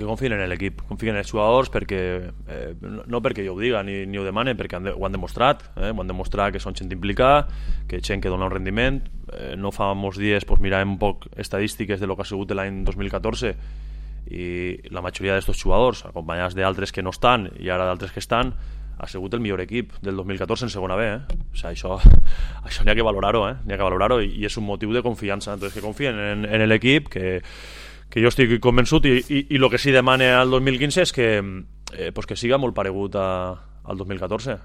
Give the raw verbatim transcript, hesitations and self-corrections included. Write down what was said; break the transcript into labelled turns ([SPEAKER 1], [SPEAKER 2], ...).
[SPEAKER 1] Que confien en l'equip, confien en els jugadors perquè, eh, no perquè jo ho diga ni, ni ho demane, perquè han de, ho han demostrat, eh? ho han demostrat que són gent implicada, que gent que dona un rendiment. Eh, no fa molts dies pues, miràvem un poc estadístiques de lo que ha sigut l'any dos mil catorze i la majoria d'aquests jugadors, acompanyats d'altres que no estan i ara d'altres que estan, ha sigut el millor equip del dos mil catorze en segona B. Eh? O sigui, això això n'hi ha que valorar-ho, eh? n'hi ha que valorar-ho i, i és un motiu de confiança. Entonces, que confien en, en l'equip, que que jo estic convençut i, i, i el que sí demane al dos mil quinze és que, eh, pues que siga molt paregut a, al dos mil catorze.